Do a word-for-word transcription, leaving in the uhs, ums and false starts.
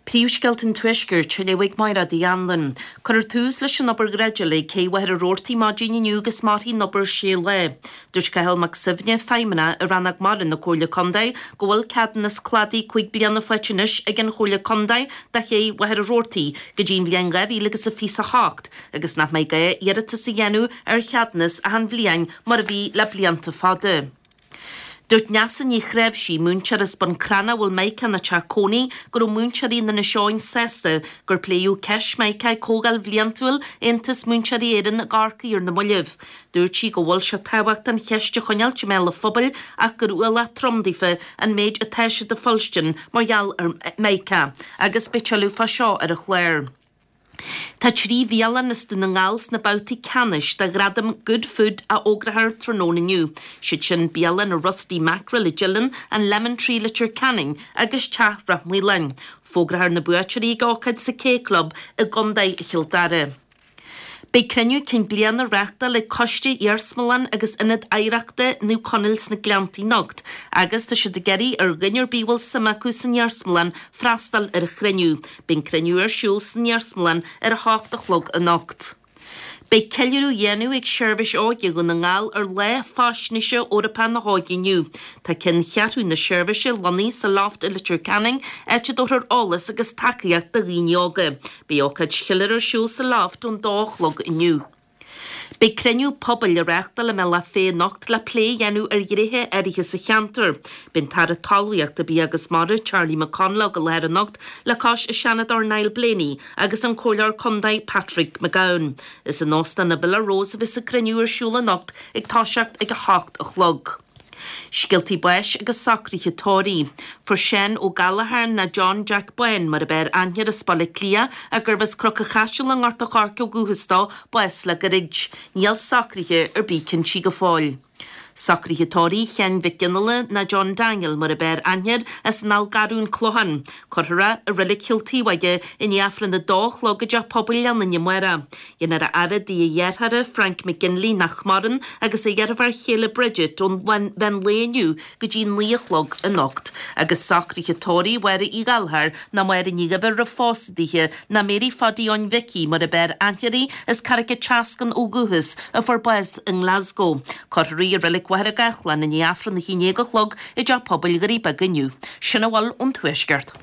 Príomhscéalta an Tuaiscirt á léamh ag Máire Uí Anluain. Cuirfear tús leis an obair dhreideála ag Cé Mhachaire Rabhartaigh maidin inniu agus mairfidh an obair sé lá. Dúirt Cathal Mac Suibhne, Feidhmeannach i Rannóg Mara na Comhairle Contae, go bhfuil ceadúnas cladaigh cúig bliana faighte anois ag an Chomhairle Contae do Ché Mhachaire Rabhartaigh go dtí an bhliain dhá mhíle agus a fiche a hocht agus nach mbeidh gá iarratas a dhéanamh ar cheadúnas achan bhliain mar a bhí le blianta fada. Dúirt Neasa Ní Chreimhsí, múinteoir as Bun Cranncha a bhfuil Micah ina teach cónaí, go raibh múinteoirí in Inis Eoghain sásta gur pléadh ceist Micah ag Comhdháil Bhliantúil Aontas Múinteoirí Éireann i gCorcaigh ar na mallaibh. Dúirt sí go bhfuil sé tábhachtach an cheist a choinneáilt i mbéal an phobail ach gur ualach trom daofa an méid atá siad a fhuilstin mar gheall ar Micah agus beidh tuilleadh fá seo ar an chlár. Tá trí bhialann as Dún na nGall sna babhtaí ceannais de ghradam Good Food a fhógrófar tráthnóna inniu. Siad sin bialann an Rusty Mackerel i dTeileann, an Lemon Tree Leitir Ceanainn agus Teach Ráth Maoláin. Fógrófar na buaiteoirí ag ócáid sa K Club i gContae Chill Dara. Beidh cruinniú cinn bliana á reáchtáil ag Coiste Iarsmalann agus Ionad Oidhreachta Naomh Conaill sna Gleanntaí anocht, agus tá siad ag iarraidh ar dhuine ar bith a bhfuil suim acu san iarsmalann freastal ar an chruinniú. Beidh an cruinniú ar siúl san iarsmalann ar a hocht a chlog anocht. Beidh ceiliúradh á dhéanamh ag Seirbhís Óige Dhún na nGall ar Lá Faisnéise Eorpach na hÓige inniu. Tá ceanncheathrú na seirbhíse lonnaithe sa Loft i Leitir Ceanainn, áit a dtabharfar eolas agus tacaíocht do dhaoine óga. Beidh ócáid cheiliúrtha ar siúl sa Loft ón dó a chlog inniu. Beidh cruinniú pobail á reáchtáil i mBealach Féich anocht le plé a dhéanamh ar ghnéithe áirithe sa cheantar. Beidh an tAire Talmhaíochta, Bia agus Mara, Charlie McConalogue i láthair anocht le cois an Seanadóir Niall Blaney agus an Comhairleoir Contae Patrick McGowan. Is in Óstán na Villa Rose a bheas an cruinniú ar siúl anocht ag toiseacht ag a hocht a chlog. Scéaltaí báis agus socruithe tórraimh. Fuair Seán Ó Gallchóir nó John Jack Bán mar ab fhearr aithne air as Baile Átha Cliath a gurbh as Cnoc an Chaisil i nGort a' Choirce ó dhúchas dó, bás le gairid. Níl socruithe ar bith cinntí go fóill. Socruithe tórraimh Sheáin Mhic Fhionnghaile nó John Daniel mar ab fhearr aithne air as an Fhál Garúin Clochán. Cuirfear é i Reilig Chill Taobhóige i ndiaidh Aifreann a dó a chlog i dteach pobail Leanainn amárach. Déanfar a fhaire i dtigh a dhearthára, Frank McGinley, nach maireann, agus a dheirfiúr chéile Bridget ón mheán lae inniu go dtí naoi a chlog anocht. Agus socruithe tórraimh Mháire Uí Ghallchóir nó Máire Ní Dhuibhir roimh phósadh daoithe nó Mary Phaddy Eoin Mhicí mar ab fhearr aithne uirthi as Carraig an tSeascainn ó dhúchas a fuair bás i nGlasgow. Cuirfear í i Reilig Mhachaire Gathlán i ndiaidh Aifreann a haon déag a chlog i dteach pobail Dhoirí Beaga inniu. Sin a bhfuil ón Tuaisceart.